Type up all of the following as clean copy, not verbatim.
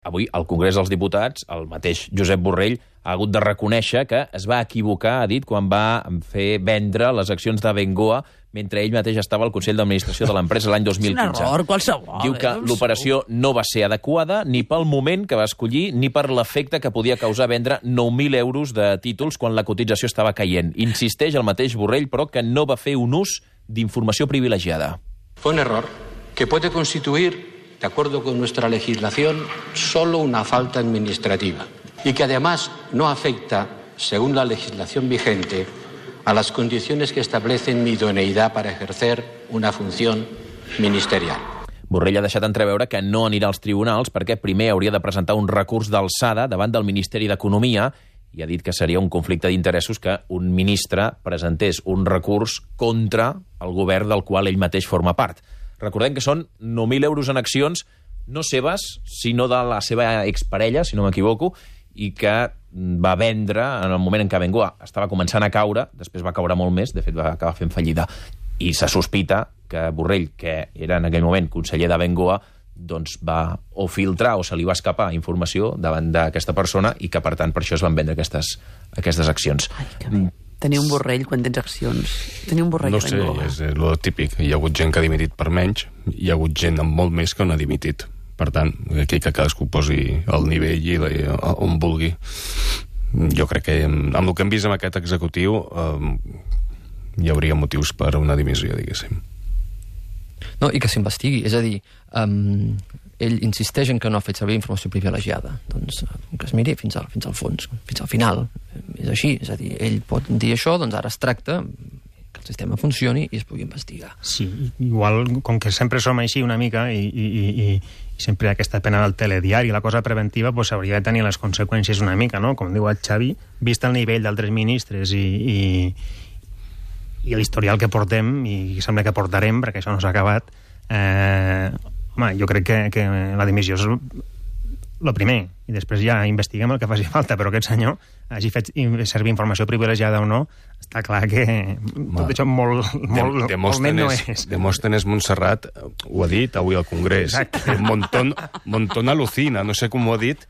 Avui, al Congrés dels Diputats, el mateix Josep Borrell ha hagut de reconèixer que es va equivocar, ha dit, quan va fer vendre les accions d'Abengoa mentre ell mateix estava al Consell d'Administració de l'empresa l'any 2015. És un error, qualsevol. Diu que l'operació no va ser adequada ni pel moment que va escollir ni per l'efecte que podia causar vendre 9.000 euros de títols quan la cotització estava caient. Insisteix el mateix Borrell, però, que no va fer un ús d'informació privilegiada. Fue un error que puede constituir, de acuerdo con nuestra legislación, solo una falta administrativa y que además no afecta, según la legislación vigente, a las condiciones que establecen mi idoneïtat per ejercer una funció ministerial. Borrell ha deixat entreveure que no anirà als tribunals perquè primer hauria de presentar un recurs d'alçada davant del Ministeri d'Economia i ha dit que seria un conflicte d'interessos que un ministre presentés un recurs contra el govern del qual ell mateix forma part. Recordem que són 9.000 euros en accions, no seves, sinó de la seva exparella, si no m'equivoco, i que va vendre en el moment en què Abengoa estava començant a caure, després va caure molt més, de fet va acabar fent fallida, i se sospita que Borrell, que era en aquell moment conseller d'Abengoa, doncs va o filtrar o se li va escapar informació davant d'aquesta persona i que, per tant, per això es van vendre aquestes accions. Ai, que bé. Tenir un Borrell quan tens accions. Tenir un Borrell no sé, és el típic. Hi ha hagut gent que ha dimitit per menys, hi ha hagut gent amb molt més que no ha dimitit. Per tant, aquí que cadascú posi el nivell i on vulgui. Jo crec que amb el que hem vist amb aquest executiu hi hauria motius per a una dimissió, diguéssim. No, i que s'investigui. És a dir, ell insisteix en que no ha fet servir informació privilegiada. Doncs que es miri fins al fons, fins al final. És així. És a dir, ell pot dir això, doncs ara es tracta que el sistema funcioni i es pugui investigar. Sí, igual, com que sempre som així una mica i sempre hi ha aquesta pena del telediari, la cosa preventiva pues, hauria de tenir les conseqüències una mica, no? Com diu el Xavi, vist el nivell d'altres ministres i l'historial que portem i sembla que portarem, perquè això no s'ha acabat, home, jo crec que la dimissió és el primer, i després ja investiguem el que faci falta, però aquest senyor hagi fet servir informació privilegiada o no, està clar que tot això molt net no és. Demòstenes Montserrat ho ha dit avui al Congrés. Montón alucina, no sé com ho ha dit,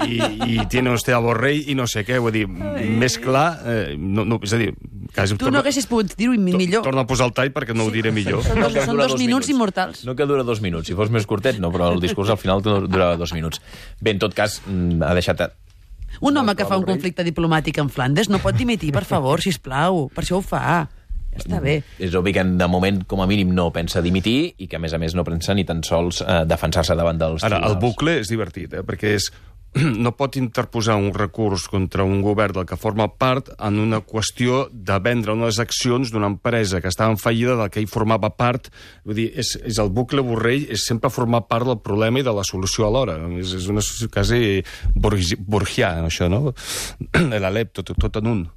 i tiene usted a Borrell i no sé què, vull dir, més clar, és a dir, quasi... Tu no haguessis pogut dir-ho millor. Torna a posar el tall perquè no ho diré millor. Són 2 minuts immortals. No que dura 2 minuts. Si fos més curtet, no, però el discurs al final dura 2 minuts. Bé, en tot cas, ha deixat... Un home que fa un conflicte diplomàtic en Flandes no pot dimitir, per favor, sisplau. Per això ho fa. Ja està bé. És obvi que de moment, com a mínim, no pensa dimitir i que, a més, no pensa ni tan sols defensar-se davant dels tribunals. Ara, el bucle és divertit, perquè no pot interposar un recurs contra un govern del que forma part en una qüestió de vendre unes accions d'una empresa que estava en fallida del que ell formava part. Vull dir, és el bucle Borrell, és sempre formar part del problema i de la solució alhora. És una quasi borgià, això, no? L'Alep, tot en un.